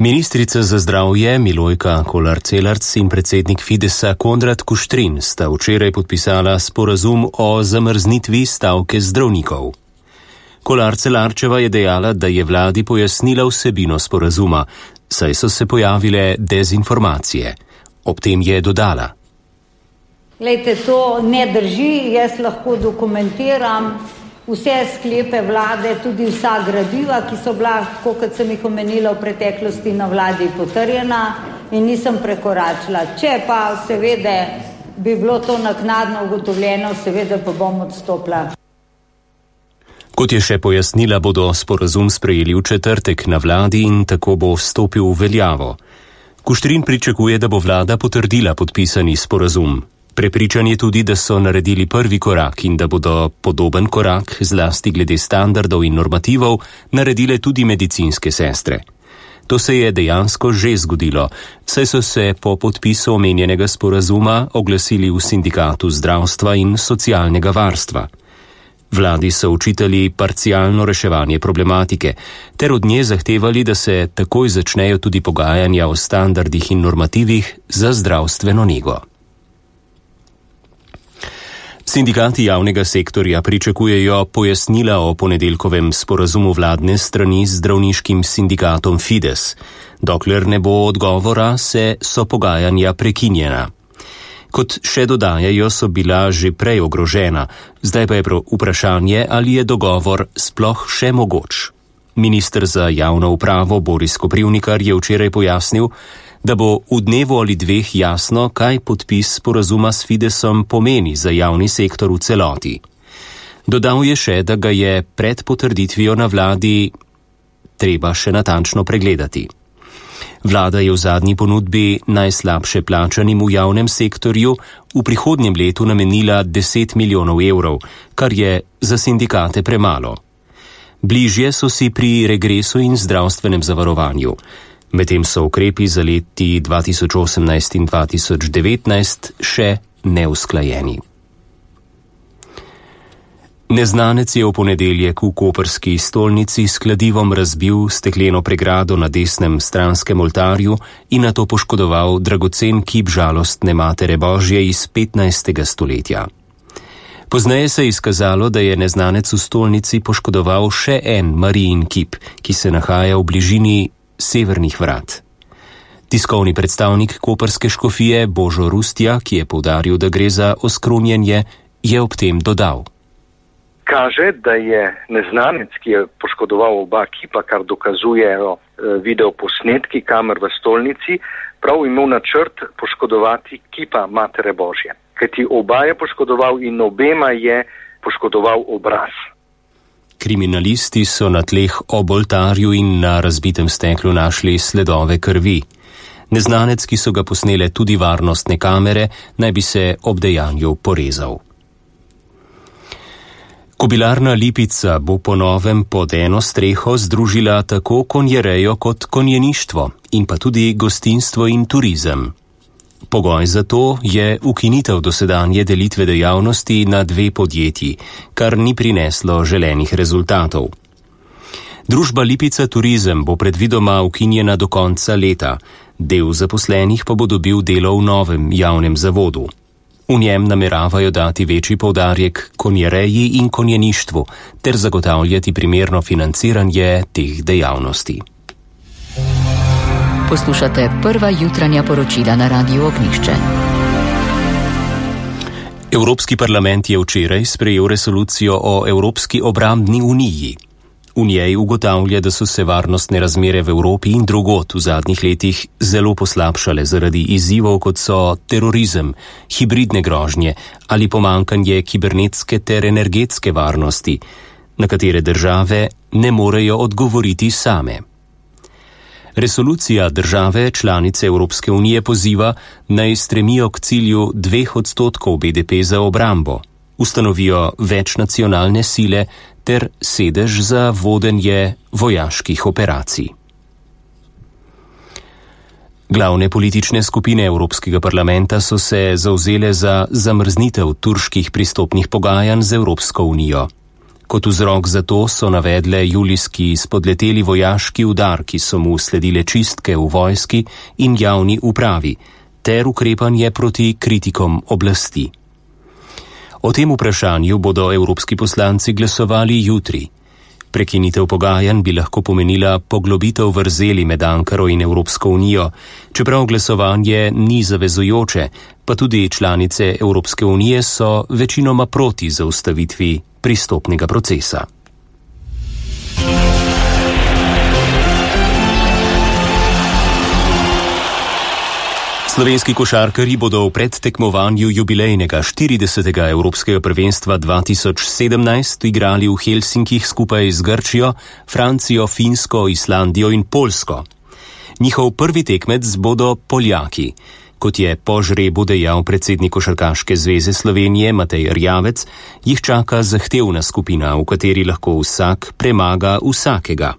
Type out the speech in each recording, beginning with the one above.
Ministrica za zdravje Milojka Kolar-Celarc in predsednik Fidesa Konrad Kuštrin sta včeraj podpisala sporazum o zamrznitvi stavke zdravnikov. Kolar-Celarčeva je dejala, da je vladi pojasnila vsebino sporazuma, saj so se pojavile dezinformacije. Ob tem je dodala: Glejte, to ne drži, jaz lahko dokumentiram vse sklepe vlade, tudi vsa gradiva, ki so bila, tako kot sem jih omenila v preteklosti, na vladi potrjena in nisem prekoračila. Če pa seveda bi bilo to naknadno ugotovljeno, seveda pa bom odstopila. Kot je še pojasnila, bodo sporazum sprejeli v četrtek na vladi in tako bo vstopil v veljavo. Kuštrin pričakuje, da bo vlada potrdila podpisani sporazum. Prepričan je tudi, da so naredili prvi korak in da bodo podoben korak, zlasti glede standardov in normativov, naredile tudi medicinske sestre. To se je dejansko že zgodilo, saj so se po podpisu omenjenega sporazuma oglasili v sindikatu zdravstva in socialnega varstva. Vladi so očitali parcialno reševanje problematike, ter od nje zahtevali, da se takoj začnejo tudi pogajanja o standardih in normativih za zdravstveno nego. Sindikati javnega sektorja pričakujejo pojasnila o ponedeljkovem sporazumu vladne strani z zdravniškim sindikatom Fides. Dokler ne bo odgovora, so pogajanja prekinjena. Kot še dodajajo, so bila že prej ogrožena, zdaj pa je vprašanje, ali je dogovor sploh še mogoč. Minister za javno upravo Boris Koprivnikar je včeraj pojasnil, da bo v dnevu ali dveh jasno, kaj podpis sporazuma s Fidesom pomeni za javni sektor v celoti. Dodal je še, da ga je pred potrditvijo na vladi treba še natančno pregledati. Vlada je v zadnji ponudbi najslabše plačanim v javnem sektorju v prihodnjem letu namenila 10 milijonov evrov, kar je za sindikate premalo. Bližje so si pri regresu in zdravstvenem zavarovanju. Medtem so ukrepi za leti 2018 in 2019 še neusklajeni. Neznanec je v ponedeljek v koprski stolnici s kladivom razbil stekleno pregrado na desnem stranskem oltarju in nato poškodoval dragocen kip žalostne Matere Božje iz 15. stoletja. Pozneje se je izkazalo, da je neznanec v stolnici poškodoval še en Marijin kip, ki se nahaja v bližini severnih vrat. Tiskovni predstavnik koprske škofije Božo Rustja, ki je poudaril, da gre za oskrunjenje, je ob tem dodal: Kaže, da je neznanec, ki je poškodoval oba kipa, kar dokazujejo videoposnetki kamer v stolnici, prav imel načrt poškodovati kipa Matere Božje. Kajti oba je poškodoval in obema je poškodoval obraz. Kriminalisti so na tleh ob oltarju in na razbitem steklu našli sledove krvi. Neznanec, ki so ga posnele tudi varnostne kamere, naj bi se ob dejanju porezal. Kobilarna Lipica bo po novem pod eno streho združila tako konjerejo kot konjeništvo in pa tudi gostinstvo in turizem. Pogoj za to je ukinitev dosedanje delitve dejavnosti na dve podjetji, kar ni prineslo želenih rezultatov. Družba Lipica Turizem bo predvidoma ukinjena do konca leta, del zaposlenih pa bo dobil delo v novem javnem zavodu. V njem nameravajo dati večji poudarek konjereji in konjeništvu ter zagotavljati primerno financiranje teh dejavnosti. Poslušate prva jutranja poročila na Radiu Ognjišče. Evropski parlament je včeraj sprejel resolucijo o Evropski obrambni uniji. V njej ugotavlja, da so se varnostne razmere v Evropi in drugod v zadnjih letih zelo poslabšale zaradi izzivov, kot so terorizem, hibridne grožnje ali pomanjkanje kibernetske ter energetske varnosti, na katere države ne morejo odgovoriti same. Resolucija države članice Evropske unije poziva, naj stremijo k cilju 2% BDP za obrambo, ustanovijo večnacionalne sile ter sedež za vodenje vojaških operacij. Glavne politične skupine Evropskega parlamenta so se zavzele za zamrznitev turških pristopnih pogajanj z Evropsko unijo. Kot vzrok za to so navedle julijski spodleteli vojaški udar, ki so mu sledile čistke v vojski in javni upravi, ter ukrepanje proti kritikom oblasti. O tem vprašanju bodo evropski poslanci glasovali jutri. Prekinitev pogajanj bi lahko pomenila poglobitev vrzeli med Ankaro in Evropsko unijo, čeprav glasovanje ni zavezujoče, pa tudi članice Evropske unije so večinoma proti zaustavitvi pristopnega procesa. Slovenski košarkarji bodo v predtekmovanju jubilejnega 40. Evropskega prvenstva 2017 igrali v Helsinkih skupaj z Grčijo, Francijo, Finsko, Islandijo in Poljsko. Njihov prvi tekmec bodo Poljaki. Kot je po žrebu dejal predsednik Košarkaške zveze Slovenije Matej Erjavec, jih čaka zahtevna skupina, v kateri lahko vsak premaga vsakega.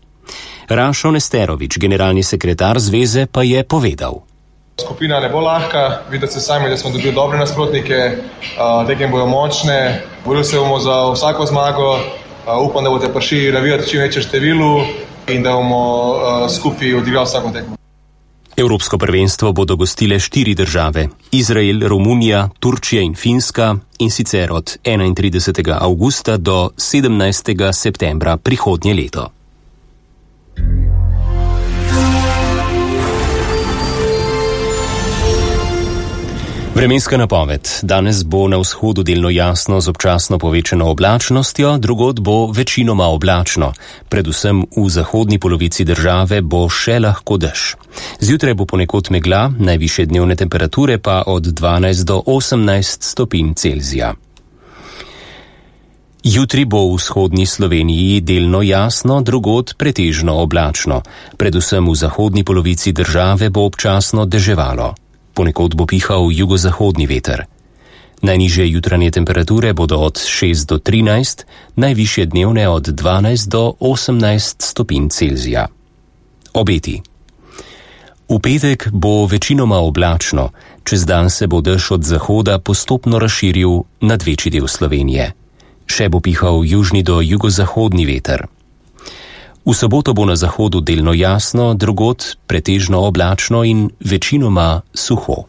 Rašo Nesterovič, generalni sekretar zveze, pa je povedal. Skupina ne bo lahka, vidite se sami, da smo dobili dobre nasprotnike, tekme bojo močne, borili se bomo za vsako zmago, upam, da boste prišli navijati čim večje številu in da bomo skupaj odigrali vsako tekmo. Evropsko prvenstvo bodo gostile 4 države, Izrael, Romunija, Turčija in Finska, in sicer od 31. avgusta do 17. septembra prihodnje leto. Vremenska napoved. Danes bo na vzhodu delno jasno z občasno povečano oblačnostjo, drugod bo večinoma oblačno. Predvsem v zahodni polovici države bo še lahko dež. Zjutraj bo ponekod megla, najvišje dnevne temperature pa od 12 do 18 stopinj Celzija. Jutri bo v vzhodni Sloveniji delno jasno, drugod pretežno oblačno. Predvsem v zahodni polovici države bo občasno deževalo. Ponekod bo pihal jugozahodni veter. Najnižje jutranje temperature bodo od 6 do 13, najvišje dnevne od 12 do 18 stopinj Celzija. Obeti. V petek bo večinoma oblačno, čez dan se bo dež od zahoda postopno razširil nad večji del Slovenije. Še bo pihal južni do jugozahodni veter. V soboto bo na zahodu delno jasno, drugod pretežno oblačno in večinoma suho.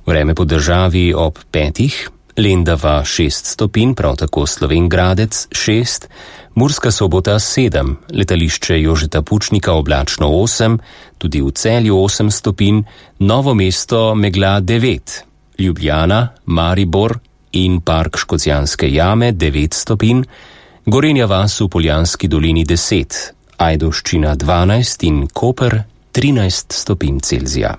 Vreme po državi ob 5, Lendava 6 stopinj, prav tako Slovenj Gradec 6, Murska Sobota 7, letališče Jožeta Pučnika oblačno 8, tudi v Celju 8 stopinj, Novo mesto megla 9, Ljubljana, Maribor in Park Škocjanske jame 9 stopinj, Gorenja vas v Poljanski dolini 10, Ajdovščina 12 in Koper 13 stopinj Celzija.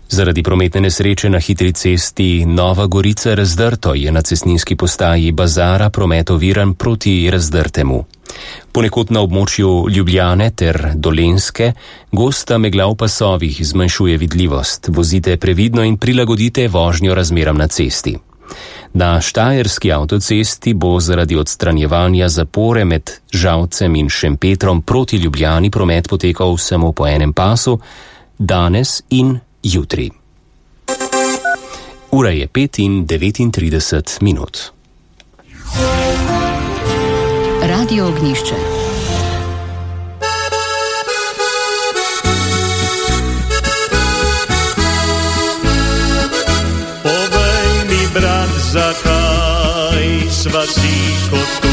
Zaradi prometne nesreče na hitri cesti Nova Gorica Razdrto je na cestninski postaji Bazara promet oviran proti Razdrtemu. Ponekod na območju Ljubljane ter Dolenjske gosta megla v pasovih zmanjšuje vidljivost. Vozite previdno in prilagodite vožnjo razmeram na cesti. Na štajerski avtocesti bo zaradi odstranjevanja zapore med Žalcem in Šempetrom proti Ljubljani promet potekal samo po enem pasu, danes in jutri. Ura je 5:39 minut. Radio Ognjišče. Povej mi, brat, zakaj sva si kot